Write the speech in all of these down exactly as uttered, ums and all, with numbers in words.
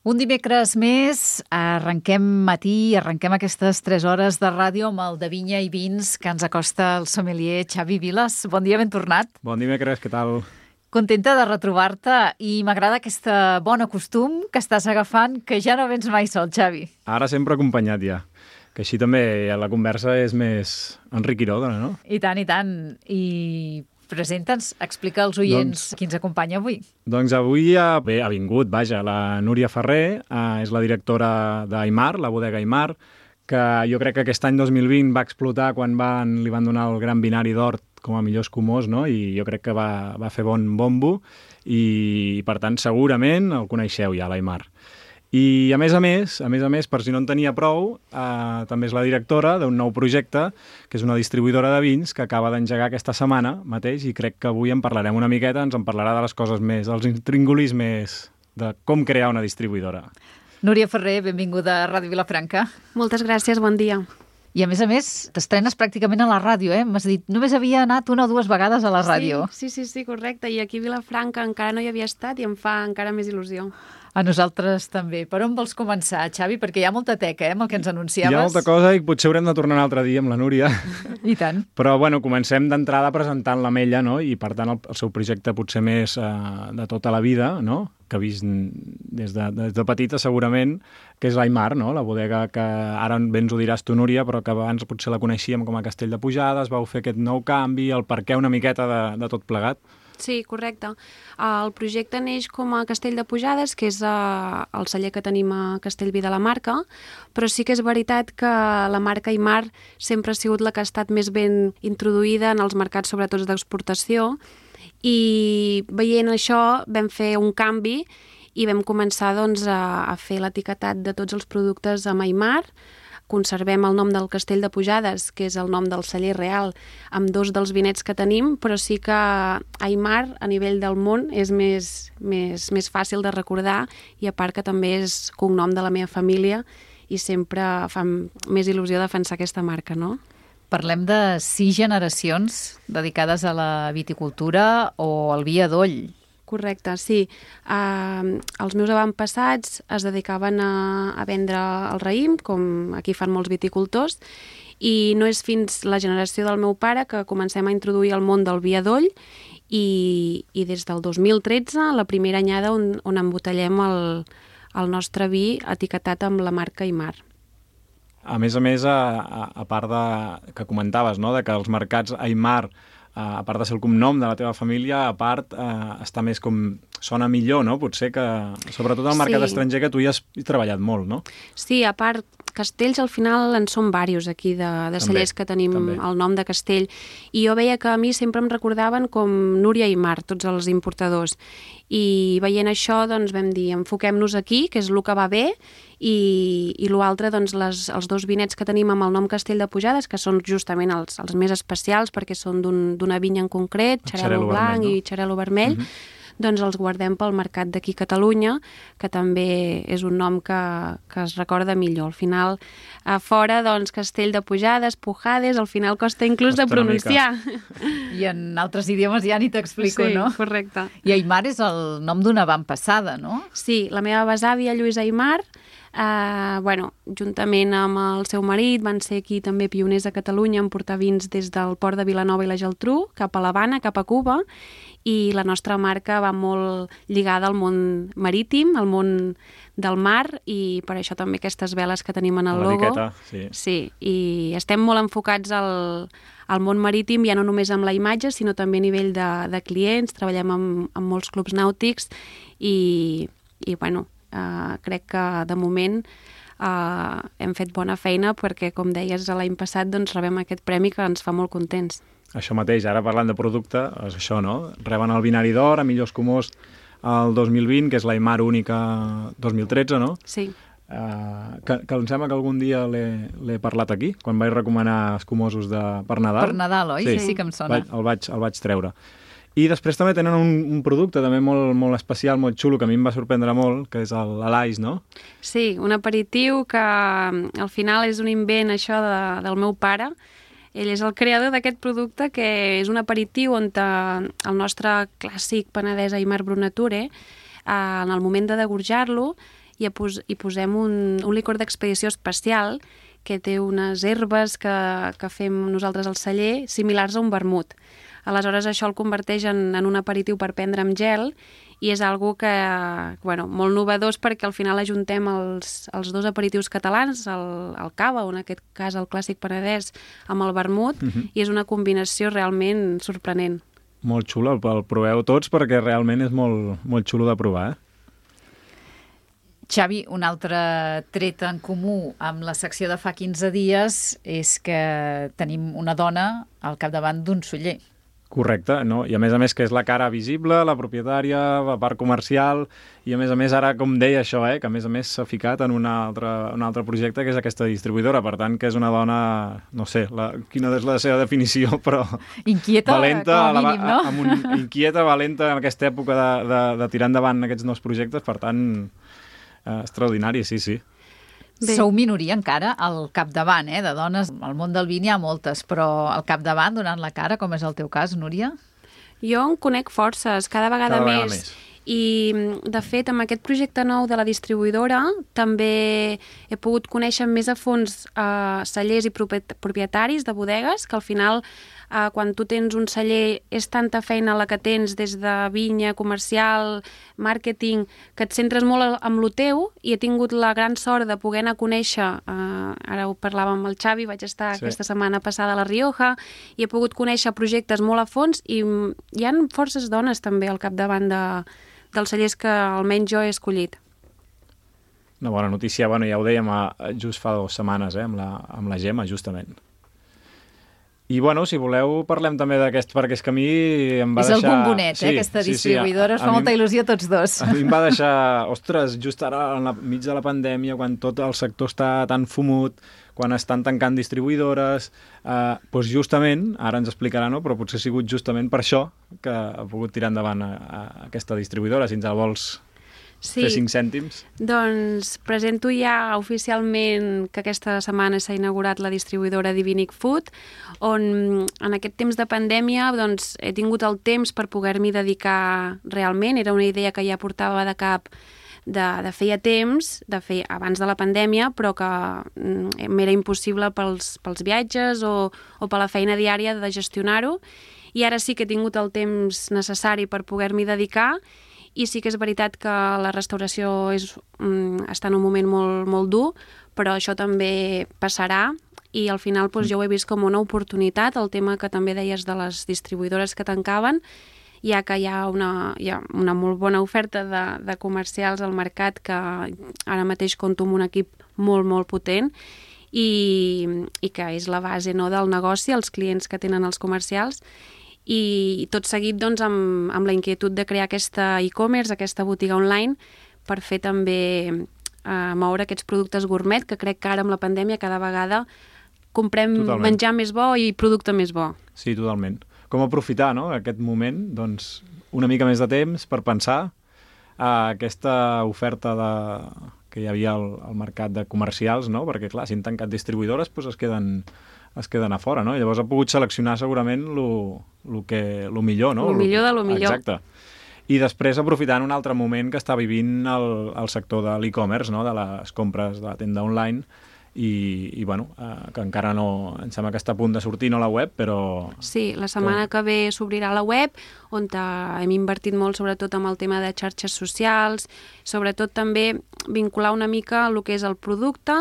Un dimecres més, arrenquem matí, arrenquem aquestes tres hores de ràdio amb el de Vinya i Vins que ens acosta el sommelier Xavi Vilas. Bon dia, ben tornat. Bon dimecres, què tal? Contenta de retrobar-te i m'agrada aquest bon costum que estàs agafant, que ja no vens mai sol, Xavi. Ara sempre acompanyat ja, que així també la conversa és més enriquidora, no? I tant, i tant. I presenta'ns, explica als oients doncs, qui ens acompanya avui. Doncs avui ha, bé, ha vingut, vaja, la Núria Ferrer, eh, és la directora d'Aimar, la bodega Aimar, que jo crec que aquest any dos mil vint va explotar quan van, li van donar el Gran Binari d'Or com a millor escumós, no? I jo crec que va, va fer bon bombo i, per tant, segurament el coneixeu ja, l'Aimar. I, a més a més, a més a més, per si no en tenia prou, eh, també és la directora d'un nou projecte, que és una distribuïdora de vins que acaba d'engegar aquesta setmana mateix i crec que avui en parlarem una miqueta, ens en parlarà de les coses més, dels intríngulis més de com crear una distribuïdora. Núria Ferrer, benvinguda a Ràdio Vilafranca. Moltes gràcies, bon dia. I a més a més, t'estrenes pràcticament a la ràdio, eh? M'has dit, només havia anat una o dues vegades a la ràdio. Sí, sí, sí, sí, correcte. I aquí a Vilafranca encara no hi havia estat i em fa encara més il·lusió. A nosaltres també. Per on vols començar, Xavi? Perquè hi ha molta teca, eh, amb el que ens anunciaves. Hi ha molta cosa i potser haurem de tornar un altre dia amb la Núria. I tant. Però, bueno, comencem d'entrada presentant l'Ametlla, no? I, per tant, el, el seu projecte potser més eh, de tota la vida, no? Que ha vist des de, des de petita, segurament, que és l'Aimar, no? La bodega que ara ben ens ho diràs tu, Núria, però que abans potser la coneixíem com a Castell de Pujades, vau fer aquest nou canvi, el perquè una miqueta de, de tot plegat. Sí, correcte. El projecte neix com a Castell de Pujades, que és el celler que tenim a Castellví de la Marca, però sí que és veritat que la marca Aimar sempre ha sigut la que ha estat més ben introduïda en els mercats, sobretot d'exportació, i veient això vam fer un canvi i vam començar doncs, a, a fer l'etiquetat de tots els productes amb Aimar. Conservem el nom del Castell de Pujades, que és el nom del celler real, amb dos dels vinets que tenim, però sí que Aimar, a nivell del món, és més, més, més fàcil de recordar i a part que també és cognom de la meva família i sempre fa més il·lusió defensar aquesta marca, no? Parlem de sis generacions dedicades a la viticultura o al vi adoll. Correcte, sí. Uh, els meus avantpassats es dedicaven a, a vendre el raïm, com aquí fan molts viticultors, i no és fins la generació del meu pare que comencem a introduir el món del vi adoll i, i des del dos mil tretze, la primera anyada on, on embotellem el, el nostre vi etiquetat amb la marca Aimar. A més a més, a, a, a part de, que comentaves, no?, de que els mercats Aimar, a part de ser el cognom de la teva família, a part eh, està més com... sona millor, no? Potser que, sobretot al mercat sí. estranger, que tu hi has treballat molt, no? Sí, a part, castells al final en són diversos aquí de, de cellers que tenim també. El nom de castell. I jo veia que a mi sempre em recordaven com Núria i Aimar, tots els importadors. I veient això, doncs vam dir, enfoquem-nos aquí, que és el que va bé, i, i l'altre, doncs, les, els dos vinets que tenim amb el nom Castell de Pujades, que són justament els, els més especials, perquè són d'una un, vinya en concret, xarel·lo blanc vermell, no? I xarel·lo vermell, uh-huh. Doncs els guardem pel mercat d'aquí a Catalunya, que també és un nom que, que es recorda millor. Al final, a fora, doncs, Castell de Pujades, Pujades, al final costa inclús costa de pronunciar. I en altres idiomes ja ni t'explico, sí, no? Sí, correcte. I Aimar és el nom d'una avantpassada, no? Sí, la meva besàvia, Lluïsa Aimar, eh, bueno, juntament amb el seu marit, van ser aquí també pioners a Catalunya en portar vins des del port de Vilanova i la Geltrú, cap a l'Havana, cap a Cuba, i la nostra marca va molt lligada al món marítim, al món del mar, i per això també aquestes veles que tenim en el logo. Sí. Sí, i estem molt enfocats al, al món marítim, ja no només amb la imatge, sinó també a nivell de, de clients, treballem amb, amb molts clubs nàutics i, i bueno, eh, crec que de moment eh, hem fet bona feina perquè, com deies, l'any passat doncs, rebem aquest premi que ens fa molt contents. Això mateix, ara parlant de producte, és això, no? Reben el Binari d'Or a millor escumós el dos mil vint, que és l'Aimar única dos mil tretze, no? Sí. Uh, que, que em sembla que algun dia l'he parlat aquí, quan vaig recomanar escumosos de, per Nadal. Per Nadal, oi? Sí, sí que em sona. Vaig, el, vaig, el vaig treure. I després també tenen un, un producte també molt, molt especial, molt xulo, que a mi em va sorprendre molt, que és l'Alais, no? Sí, un aperitiu que al final és un invent, això, de, del meu pare. Ell és el creador d'aquest producte, que és un aperitiu on el nostre clàssic penedès Aimar Brunature, en el moment de degorjar-lo, i pos hi posem un, un licor d'expedició especial que té unes herbes que, que fem nosaltres al celler, similars a un vermut. Aleshores, això el converteix en, en un aperitiu per prendre amb gel i és algo que, bueno, molt novedós perquè al final ajuntem els, els dos aperitius catalans, el, el cava, o en aquest cas el clàssic penedès, amb el vermut, uh-huh. i és una combinació realment sorprenent. Molt xulo, el proveu tots perquè realment és molt, molt xulo de provar, eh? Xavi, un altre tret en comú amb la secció de fa quinze dies és que tenim una dona al capdavant d'un celler. Correcte, no? I a més a més que és la cara visible, la propietària, la part comercial, i a més a més ara, com deia això, eh, que a més a més s'ha ficat en un altre, un altre projecte que és aquesta distribuïdora, per tant que és una dona, no sé, la, quina és la seva definició, però... Inquieta, valenta, com a mínim, no? La, amb un, inquieta, valenta en aquesta època de, de, de tirar endavant aquests nous projectes, per tant, eh, extraordinari, sí, sí. Bé. Sou minoria encara al capdavant, eh, de dones. Al món del vi n'hi ha moltes, però al capdavant, donant la cara, com és el teu cas, Núria? Jo en conec forces, cada vegada, cada més. vegada més. I, de fet, amb aquest projecte nou de la distribuïdora també he pogut conèixer més a fons eh, cellers i propietaris de bodegues, que al final, eh, quan tu tens un celler, és tanta feina la que tens des de vinya, comercial, màrqueting, que et centres molt amb lo teu, i he tingut la gran sort de poder anar a conèixer, eh, ara ho parlàvem amb el Xavi, vaig estar sí. aquesta setmana passada a La Rioja, i he pogut conèixer projectes molt a fons, i hi ha forces dones també al capdavant de dels cellers que almenys jo he escollit. Una bona notícia, bueno, ja ho dèiem just fa dues setmanes, eh, amb la, amb la Gemma, justament. I, bueno, si voleu, parlem també d'aquest, perquè és que a mi em va és deixar... És el bombonet, sí, eh, aquesta sí, distribuïdora, sí, us fa molta il·lusió a tots dos. A mi em va deixar, ostres, just ara, enmig de la pandèmia, quan tot el sector està tan fumut, quan estan tancant distribuïdores, eh, doncs justament, ara ens explicarà, no? Però potser ha sigut justament per això que ha pogut tirar endavant a, a aquesta distribuïdora, si ens la vols sí. fer cinc cèntims. Doncs presento ja oficialment que aquesta setmana s'ha inaugurat la distribuïdora Divinic Food, on en aquest temps de pandèmia doncs, he tingut el temps per poder-m'hi dedicar realment. Era una idea que ja portava de cap de, de feia temps, de fer abans de la pandèmia, però que mm, m'era impossible pels, pels viatges o, o per la feina diària de gestionar-ho. I ara sí que he tingut el temps necessari per poder-m'hi dedicar, i sí que és veritat que la restauració és, mm, està en un moment molt, molt dur, però això també passarà, i al final doncs, jo ho he vist com una oportunitat, el tema que també deies de les distribuïdores que tancaven, ja que hi ha una, hi ha una molt bona oferta de, de comercials al mercat, que ara mateix compto amb un equip molt, molt potent, i, i que és la base, no, del negoci, els clients que tenen els comercials, i tot seguit doncs, amb, amb la inquietud de crear aquesta e-commerce, aquesta botiga online, per fer també eh, moure aquests productes gourmet, que crec que ara amb la pandèmia cada vegada comprem totalment. Menjar més bo i producte més bo. Sí, totalment. Com aprofitar, no?, aquest moment, doncs, una mica més de temps per pensar a aquesta oferta de, que hi havia al, al mercat de comercials, no?, perquè, clar, si han tancat distribuïdores, doncs es queden, es queden a fora, no? I llavors ha pogut seleccionar segurament lo, lo, que, lo millor, no? Lo millor de lo millor. Exacte. I després aprofitant un altre moment que està vivint el, el sector de l'e-commerce, no?, de les compres de la tenda online, i, i bueno, eh, que encara no, em sembla que està a punt de sortir, no, la web, però... Sí, la setmana que, que ve s'obrirà la web, on hem invertit molt sobretot amb el tema de xarxes socials, sobretot també vincular una mica el que és el producte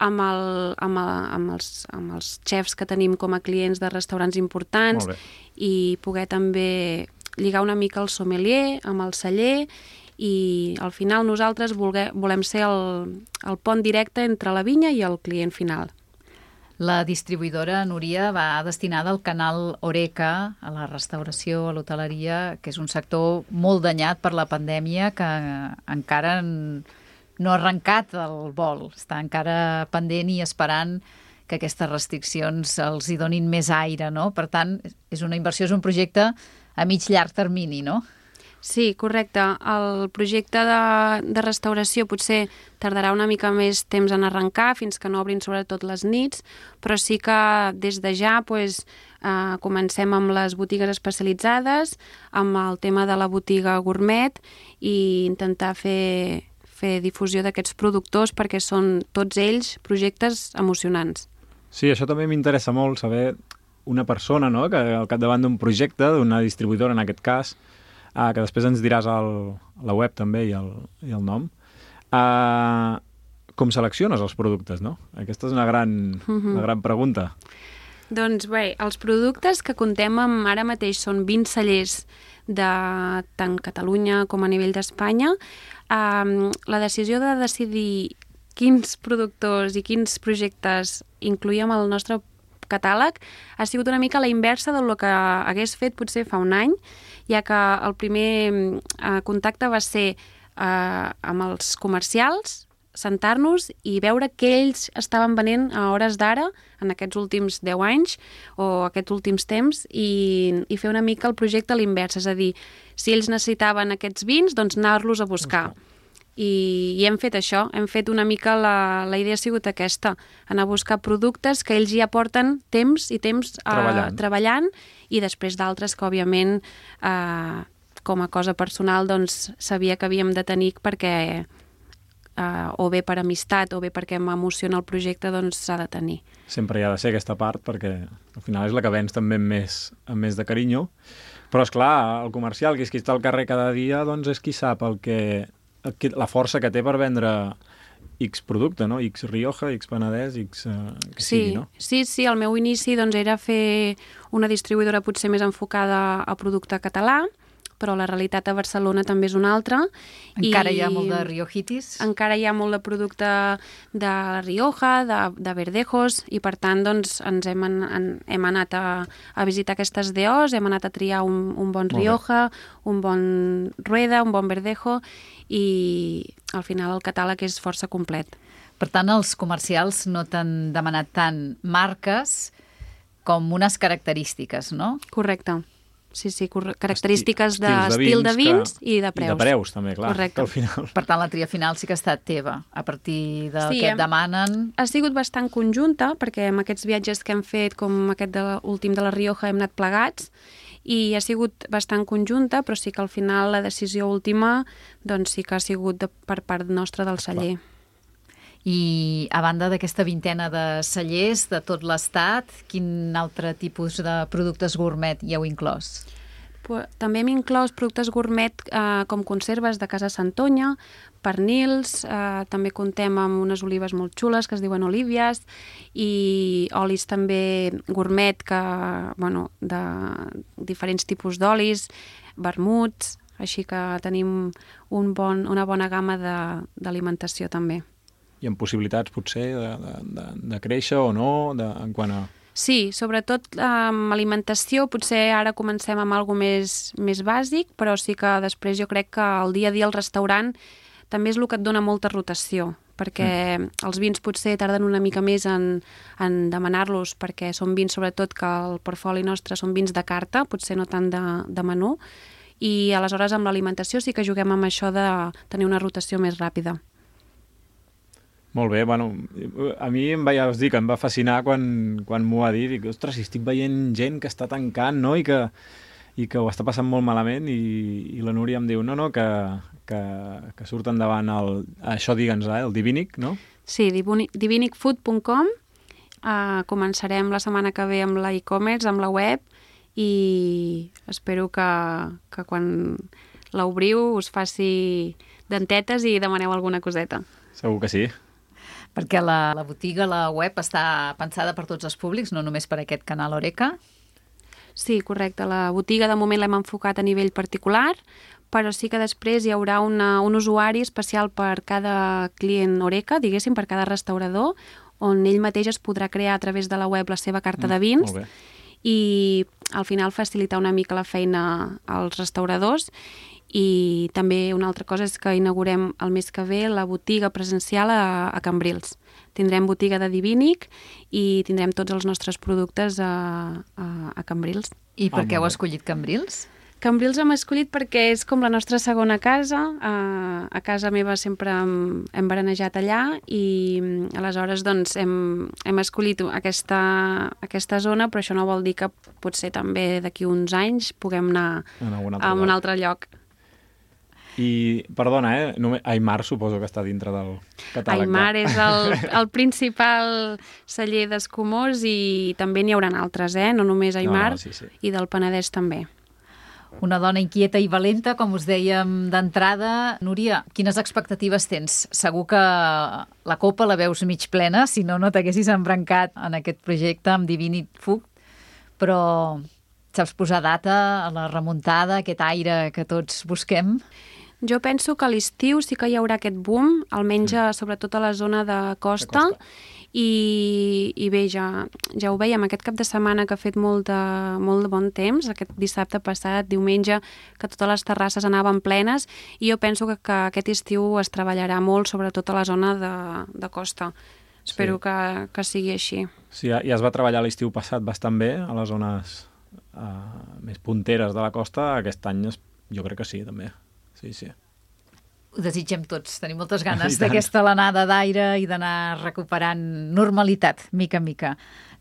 amb, el, amb, el, amb, els, amb els xefs que tenim com a clients de restaurants importants, i poder també lligar una mica el sommelier amb el celler, i al final nosaltres volgué, volem ser el, el pont directe entre la vinya i el client final. La distribuïdora, Núria, va destinada al canal Horeca, a la restauració, a l'hoteleria, que és un sector molt danyat per la pandèmia, que encara no ha arrencat el vol, està encara pendent i esperant que aquestes restriccions els hi donin més aire, no? Per tant, és una inversió, és un projecte a mig llarg termini, no? Sí, correcte. El projecte de, de restauració potser tardarà una mica més temps en arrencar, fins que no obrin sobretot les nits, però sí que des de ja pues, eh, comencem amb les botigues especialitzades, amb el tema de la botiga gourmet, i intentar fer, fer difusió d'aquests productors perquè són tots ells projectes emocionants. Sí, això també m'interessa molt, saber una persona, no?, que al capdavant d'un projecte, d'una distribuïdora en aquest cas, uh, que després ens diràs el, la web també i el, i el nom, uh, com selecciones els productes, no? Aquesta és una gran, mm-hmm. una gran pregunta. Doncs bé, els productes que contem amb ara mateix són vint cellers de tant Catalunya com a nivell d'Espanya. Um, la decisió de decidir quins productors i quins projectes incluïem al nostre catàleg ha sigut una mica la inversa del que hagués fet potser fa un any, ja que el primer uh, contacte va ser uh, amb els comercials, sentar-nos i veure què ells estaven venent a hores d'ara en aquests últims deu anys o aquests últims temps i, i fer una mica el projecte a l'invers, és a dir, si ells necessitaven aquests vins, doncs anar-los a buscar. I, i hem fet això, hem fet una mica, la, la idea ha sigut aquesta, anar a buscar productes que ells ja porten temps i temps uh, treballant. treballant i després d'altres que, òbviament, uh, com a cosa personal, doncs sabia que havíem de tenir perquè Uh, o bé per amistat o bé perquè m'emociona el projecte, doncs s'ha de tenir. Sempre hi ha de ser aquesta part perquè al final és la que vens també amb més, amb més de carinyo. Però, és clar, el comercial, que és qui està al carrer cada dia, doncs és qui sap el que, el que, la força que té per vendre X producte, no? X Rioja, X Penedès, X... Uh, que sí, sigui, no? Sí, sí, el meu inici doncs, era fer una distribuïdora potser més enfocada a producte català, però la realitat a Barcelona també és una altra. Encara i hi ha molt de riojitis? Encara hi ha molt de producte de la Rioja, de, de Verdejos, i per tant doncs, ens hem, an, hem anat a, a visitar aquestes D Os, hem anat a triar un, un bon Rioja, un bon Rueda, un bon Verdejo, i al final el catàleg és força complet. Per tant, els comercials no t'han demanat tant marques com unes característiques, no? Correcte. Sí, sí, característiques d'estil de, de vins que... i de preus. I de preus, també, clar. Correcte. Al final. Per tant, la tria final sí que ha estat teva, a partir del sí, que et demanen. Ha sigut bastant conjunta, perquè amb aquests viatges que hem fet, com aquest de últim de la Rioja, hem anat plegats, i ha sigut bastant conjunta, però sí que al final la decisió última doncs sí que ha sigut de, per part nostra del celler. Clar. I a banda d'aquesta vintena de cellers de tot l'estat, quin altre tipus de productes gourmet hi heu inclòs? També hem inclòs productes gourmet eh, com conserves de Casa Santonya, pernils, eh, també contem amb unes olives molt xules que es diuen olívies i olis també gourmet que, bueno, de diferents tipus d'olis, vermuts, així que tenim un bon, una bona gamma d'alimentació també. I amb possibilitats, potser, de, de, de, de créixer o no, de, en quant a... Sí, sobretot amb um, alimentació, potser ara comencem amb alguna més, més bàsic, però sí que després jo crec que el dia a dia al restaurant també és el que et dona molta rotació, perquè mm. els vins potser tarden una mica més en, en demanar-los, perquè són vins, sobretot, que el portfoli nostre són vins de carta, potser no tant de, de menú, i aleshores amb l'alimentació sí que juguem amb això de tenir una rotació més ràpida. Molt bé, bueno, a mi em va, ja us dic, em va fascinar quan, quan m'ho va dir, dic, ostres, si estic veient gent que està tancant, no?, i que, i que ho està passant molt malament, i, i la Núria em diu, no, no, que, que, que surt endavant el, això, digue'ns, eh, el Divinic, no? Sí, divinic food punt com, uh, començarem la setmana que ve amb la e-commerce, amb la web, i espero que, que quan l'obriu us faci dentetes i demaneu alguna coseta. Segur que sí. Perquè la, la botiga, la web, està pensada per tots els públics, no només per aquest canal Horeca? Sí, correcte. La botiga de moment l'hem enfocat a nivell particular, però sí que després hi haurà una, un usuari especial per cada client Horeca, diguéssim, per cada restaurador, on ell mateix es podrà crear a través de la web la seva carta de vins mm, i al final facilitar una mica la feina als restauradors. I també una altra cosa és que inaugurem el mes que ve la botiga presencial a, a Cambrils. Tindrem botiga de Divinic i tindrem tots els nostres productes a, a, a Cambrils. I per oh, què heu escollit Cambrils? Cambrils hem escollit perquè és com la nostra segona casa. A, a casa meva sempre hem, hem berenejat allà i aleshores doncs, hem, hem escollit aquesta, aquesta zona, però això no vol dir que potser també d'aquí uns anys puguem anar a un altre, a un altre lloc. I, perdona, eh? Només, Aimar suposo que està dintre del catàleg. Aimar és el, el principal celler d'Escumós i també n'hi haurà altres, eh? No només Aimar, no, no, sí, sí. I del Penedès també. Una dona inquieta i valenta, com us dèiem d'entrada. Núria, quines expectatives tens? Segur que la copa la veus mig plena, si no, no t'haguessis embrancat en aquest projecte amb Divinit Food, però saps posar data a la remuntada, aquest aire que tots busquem? Jo penso que a l'estiu sí que hi haurà aquest boom, almenys mm. sobretot a la zona de costa, de costa. I, i bé, ja, ja ho veiem aquest cap de setmana que ha fet molt de, molt de bon temps, aquest dissabte passat, diumenge, que totes les terrasses anaven plenes, i jo penso que, que aquest estiu es treballarà molt, sobretot a la zona de, de costa. Espero sí. que, que sigui així. Sí, ja es va treballar l'estiu passat bastant bé a les zones uh, més punteres de la costa. Aquest any jo crec que sí, també. Sí, sí. Ho desitgem tots. Tenim moltes ganes d'aquesta alenada d'aire i d'anar recuperant normalitat, mica en mica.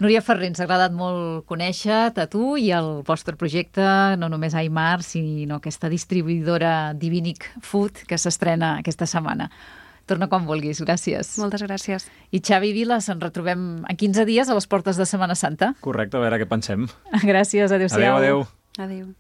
Núria Ferrer, ens ha agradat molt conèixer-te a tu i el vostre projecte, no només Aimar, sinó aquesta distribuïdora Divinic Food que s'estrena aquesta setmana. Torna quan vulguis, gràcies. Moltes gràcies. I Xavi Vilas, ens retrobem en quinze dies a les portes de Setmana Santa. Correcte, a veure què pensem. Gràcies, adéu-siau. Adéu, adéu. Adéu.